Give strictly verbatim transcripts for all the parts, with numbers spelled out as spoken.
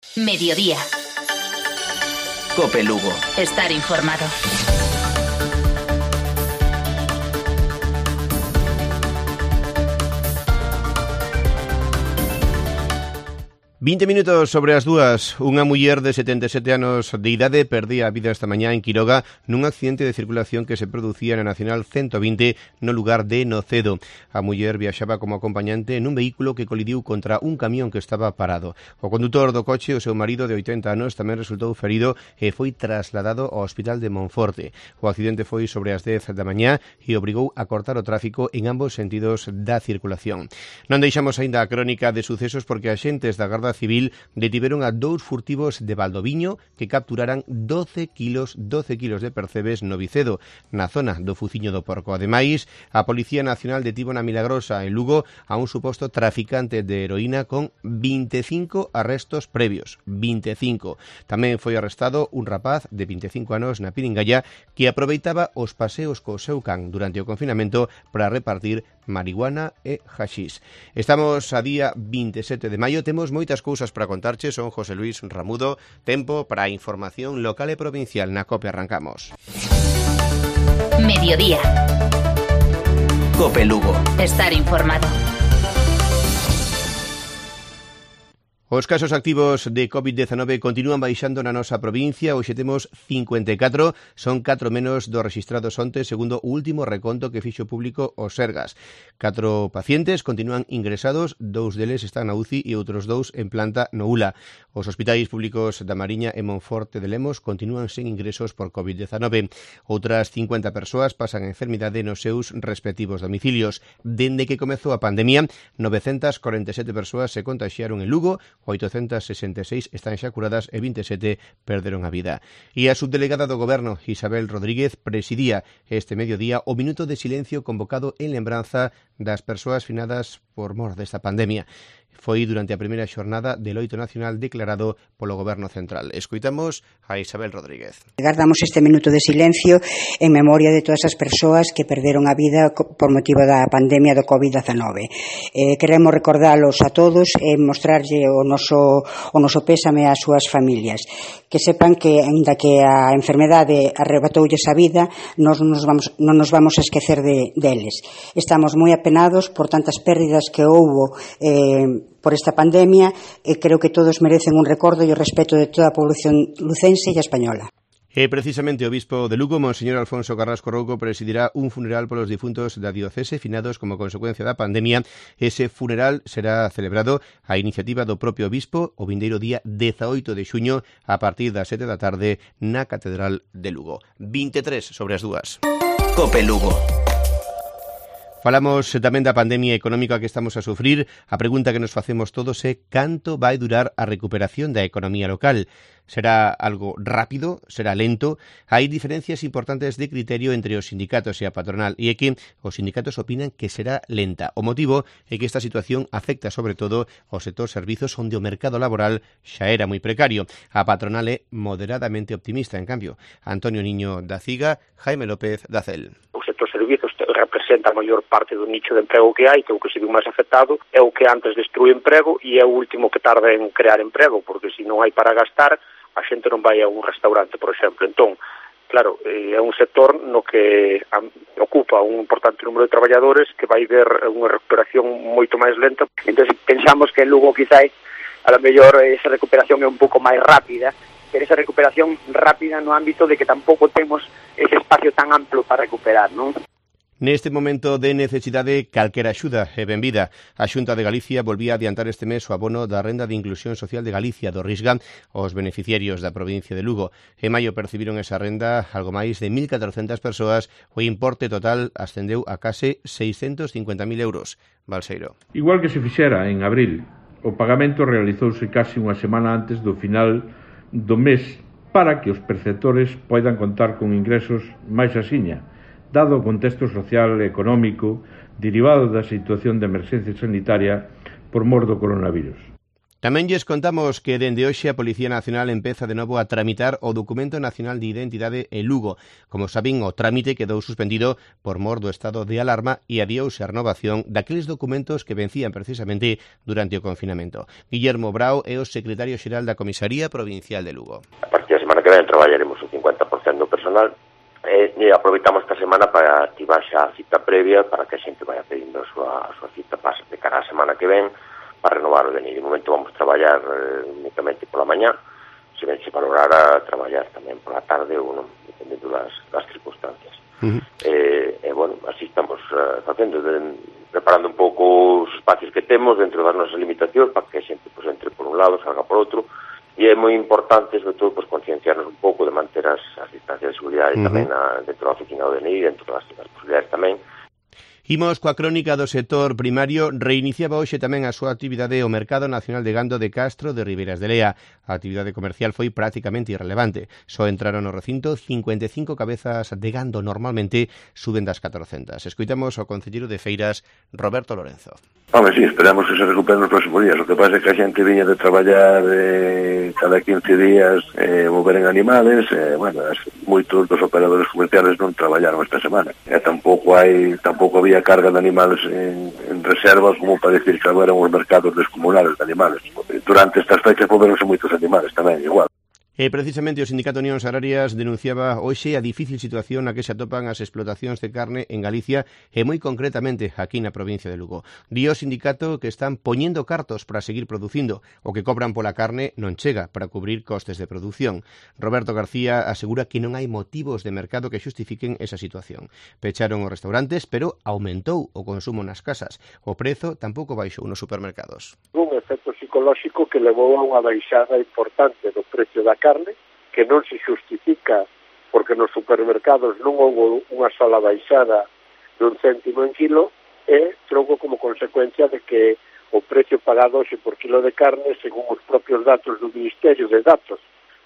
Mediodía. Cope Lugo. Estar informado. vinte minutos sobre as dúas. Unha muller de setenta e sete anos de idade perdía a vida esta mañá en Quiroga nun accidente de circulación que se producía na Nacional ciento vinte no lugar de Nocedo. A muller viaxaba como acompañante nun vehículo que colidiu contra un camión que estaba parado. O condutor do coche, o seu marido de oitenta anos, tamén resultou ferido e foi trasladado ao Hospital de Monforte. O accidente foi sobre as dez da mañá e obrigou a cortar o tráfico en ambos sentidos da circulación. Non deixamos aínda a crónica de sucesos porque axentes da Garda Civil detiveron a dous furtivos de Valdoviño que capturaran doce kilos de percebes no Vicedo, na zona do Fuciño do Porco. Ademais, a Policía Nacional detivo na Milagrosa, en Lugo, a un suposto traficante de heroína con vinte e cinco arrestos previos. vinte e cinco. Tamén foi arrestado un rapaz de vinte e cinco anos na Piringalla que aproveitaba os paseos co seu can durante o confinamento para repartir marihuana e haxís. Estamos a día vinte e sete de maio, temos moitas cousas para contarche. Son José Luis Ramudo. Tempo para a información local e provincial na COPE. Arrancamos. Mediodía. Cope Lugo. Estar informado. Os casos activos de covid diecinueve continúan baixando na nosa provincia. Hoxe temos cincuenta e catro, son catro menos dos rexistrados onte, segundo o último reconto que fixo público o Sergas. Catro pacientes continúan ingresados, dous deles están na U C I e outros dous en planta no U L A. Os hospitais públicos da Mariña e Monforte de Lemos continúan sen ingresos por covid diecinueve. Outras cincuenta persoas pasan a enfermidade nos seus respectivos domicilios. Dende que comezou a pandemia, novecentas corenta e sete persoas se contaxiaron en Lugo, oitocentas sesenta e seis están xa curadas e vinte e sete perderon a vida. E a subdelegada do Goberno, Isabel Rodríguez, presidía este mediodía o minuto de silencio convocado en lembranza das persoas finadas por mor desta pandemia. Foi durante a primeira xornada de loito nacional declarado polo Goberno Central. Escoitamos a Isabel Rodríguez. Guardamos este minuto de silencio en memoria de todas as persoas que perderon a vida por motivo da pandemia do covid diecinueve. Eh, queremos recordalos a todos e mostrarlle o noso, o noso pésame ás súas familias. Que sepan que, ainda que a enfermedade arrebatoulles a vida, nos nos vamos, non nos vamos a esquecer de, deles. Estamos moi apenados por tantas pérdidas que houbo eh, por esta pandemia e creo que todos merecen un recordo e o respeto de toda a población lucense e española. E precisamente o bispo de Lugo, Monseñor Alfonso Carrasco Rouco, presidirá un funeral polos difuntos da diocese finados como consecuencia da pandemia. Ese funeral será celebrado a iniciativa do propio bispo o vindeiro día dezaoito de xuño a partir das sete da tarde na Catedral de Lugo. vinte e tres sobre as dúas. Cope Lugo. Falamos tamén da pandemia económica que estamos a sufrir. A pregunta que nos facemos todos é canto vai durar a recuperación da economía local. Será algo rápido? Será lento? Hai diferencias importantes de criterio entre os sindicatos e a patronal e é que os sindicatos opinan que será lenta. O motivo é que esta situación afecta sobre todo ao sector servizos onde o mercado laboral xa era moi precario. A patronal é moderadamente optimista, en cambio. Antonio Niño da Ciga, Jaime López da Cel. O sector servizos representa a maior parte do nicho de emprego que hai, que é o que se viu máis afectado, é o que antes destrui emprego e é o último que tarda en crear emprego, porque se non hai para gastar, a xente non vai a un restaurante, por exemplo. Entón, claro, é un sector no que ocupa un importante número de traballadores que vai ver unha recuperación moito máis lenta. Entón, pensamos que en Lugo quizás a lo mellor esa recuperación é un pouco máis rápida, pero esa recuperación rápida no ámbito de que tampouco temos ese espacio tan amplo para recuperar, non? Neste momento de necesidade, calquera axuda é benvida. A Xunta de Galicia volvía a adiantar este mes o abono da Renda de Inclusión Social de Galicia do Risga aos beneficiarios da provincia de Lugo. En maio percibiron esa renda algo máis de mil catrocentas persoas. O importe total ascendeu a case seiscentos cincuenta mil euros. Balseiro. Igual que se fixera en abril, o pagamento realizouse casi unha semana antes do final do mes para que os perceptores poidan contar con ingresos máis axiña, dado o contexto social e económico derivado da situación de emerxencia sanitaria por mor do coronavirus. Tamén lles contamos que dende hoxe a Policía Nacional empeza de novo a tramitar o Documento Nacional de Identidade en Lugo. Como saben, o trámite quedou suspendido por mor do estado de alarma e adiouse a renovación daqueles documentos que vencían precisamente durante o confinamento. Guillermo Brao é o secretario xeral da Comisaría Provincial de Lugo. A partir da semana que ven traballaremos o cincuenta por cento do personal e, e aproveitamos esta semana para activar xa a cita previa para que a xente vaya pedindo a súa, a súa cita para de cara a semana que ven para renovar o D N I. De momento vamos traballar eh, únicamente pola mañá, se ben se valorará traballar tamén pola tarde ou non, dependendo das, das circunstancias. Uh-huh. Eh, e, bueno, así estamos uh, facendo, de, preparando un pouco os espacios que temos dentro das nosas limitacións para que a xente pues, entre por un lado, salga por outro, e é moi importante, sobre todo, pues, concienciarnos un pouco de manter as, as distancias de seguridade uh-huh. tamén na, dentro da oficina do D N I, dentro das, das posibilidades tamén. Imos coa crónica do sector primario. Reiniciaba hoxe tamén a súa actividade o Mercado Nacional de Gando de Castro de Ribeiras de Lea. A actividade comercial foi prácticamente irrelevante. Só entraron no recinto cincuenta e cinco cabezas de gando, normalmente suben das catrocentas. Escoitamos ao concelleiro de Feiras, Roberto Lorenzo. Home, sí, esperamos que se recuperen nos próximos días. O que pasa é que a xente viña de traballar eh, cada quince días eh, mover en animales, eh, bueno, moitos dos operadores comerciales non traballaron esta semana. E tampouco hai, tampouco había carga de animales en, en reservas como para decir que agora eran os mercados descomunales de animales. Durante estas fechas moveronse moitos animales tamén, igual. E precisamente o Sindicato Unións Agrarias denunciaba hoxe a difícil situación na que se atopan as explotacións de carne en Galicia e moi concretamente aquí na provincia de Lugo. Di o sindicato que están poñendo cartos para seguir producindo. O que cobran pola carne non chega para cubrir costes de produción. Roberto García asegura que non hai motivos de mercado que xustifiquen esa situación. Pecharon os restaurantes, pero aumentou o consumo nas casas. O prezo tampouco baixou nos supermercados. Un efecto psicolóxico que levou a unha baixada importante do precio da carne, que non se xustifica porque nos supermercados non houve unha sola baixada dun céntimo en kilo, e troco como consecuencia de que o precio pagado hoxe por kilo de carne, según os propios datos do Ministerio de Datos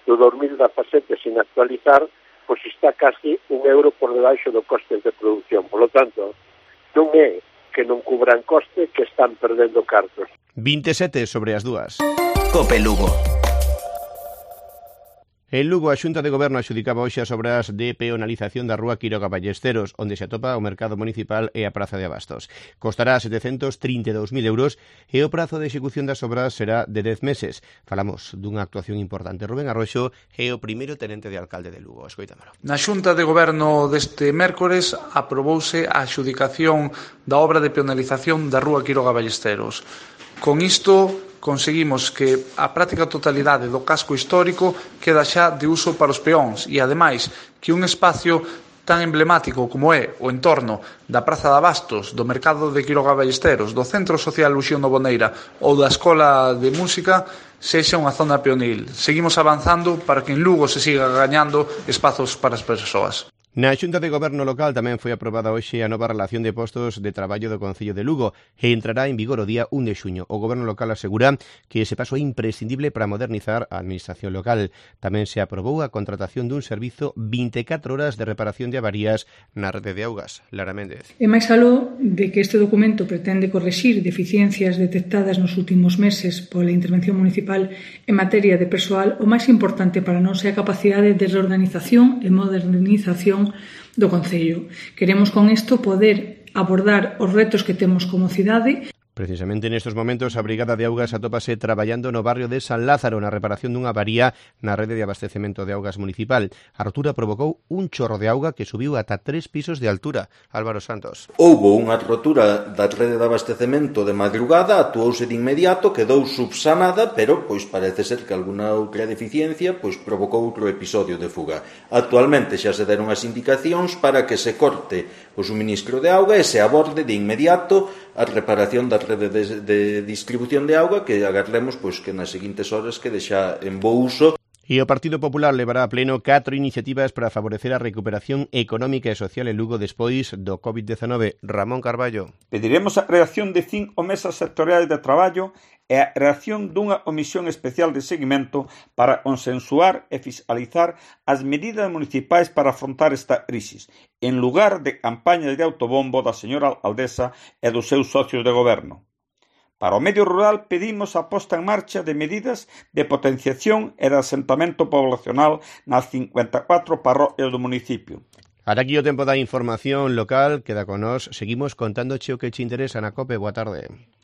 do dos mil dezasete sin actualizar, pois está casi un euro por debaixo do coste de produción. Por lo tanto, non é que non cubran coste, que están perdendo cartos. vinte e sete sobre as dúas. Cope Lugo. En Lugo, a Xunta de Goberno adxudicaba hoxe as obras de peonalización da rúa Quiroga Ballesteros, onde se atopa o mercado municipal e a praza de Abastos. Costará setecentos trinta e dous mil euros e o prazo de execución das obras será de dez meses. Falamos dunha actuación importante. Rubén Arroxo é o primeiro tenente de alcalde de Lugo. Escoitámolo. Na Xunta de Goberno deste mércores aprobouse a adxudicación da obra de peonalización da rúa Quiroga Ballesteros. Con isto conseguimos que a práctica totalidade do casco histórico queda xa de uso para os peóns e, ademais, que un espacio tan emblemático como é o entorno da Praza de Abastos, do Mercado de Quiroga Ballesteros, do Centro Social Luxión Novoneira ou da Escola de Música sexa unha zona peonil. Seguimos avanzando para que en Lugo se siga gañando espazos para as persoas. Na Xunta de Goberno local tamén foi aprobada hoxe a nova relación de postos de traballo do Concello de Lugo e entrará en vigor o día un de xuño. O Goberno local asegura que ese paso é imprescindible para modernizar a administración local. Tamén se aprobou a contratación dun servizo vinte e catro horas de reparación de avarías na rede de augas. Lara Méndez. E máis aló de que este documento pretende correxir deficiencias detectadas nos últimos meses pola intervención municipal en materia de persoal, o máis importante para nós é a capacidade de reorganización e modernización do Concello. Queremos con isto poder abordar os retos que temos como cidade. Precisamente nestes momentos a Brigada de Augas atópase traballando no barrio de San Lázaro na reparación dunha avaría na rede de abastecemento de augas municipal. A rotura provocou un chorro de auga que subiu ata tres pisos de altura. Álvaro Santos. Houbo unha rotura da rede de abastecemento de madrugada, actuouse de inmediato, quedou subsanada, pero pois parece ser que alguna outra deficiencia pois provocou outro episodio de fuga. Actualmente xa se deron as indicacións para que se corte o suministro de auga e se aborde de inmediato a reparación da rede de, de distribución de auga, que agardemos pois que nas seguintes horas quede xa en bo uso. E o Partido Popular levará a pleno catro iniciativas para favorecer a recuperación económica e social en Lugo despois do covid diecinueve. Ramón Carballo. Pediremos a creación de cinco mesas sectoriais de traballo e a creación dunha comisión especial de seguimento para consensuar e fiscalizar as medidas municipais para afrontar esta crisis, en lugar de campañas de autobombo da señora alcaldesa e dos seus socios de goberno. Para o medio rural pedimos a posta en marcha de medidas de potenciación e de asentamento poblacional nas cincuenta e catro parroquias do municipio. Ata aquí o tempo da información local, queda con nós, seguimos contándoche o que che interesa na COPE. Boa tarde.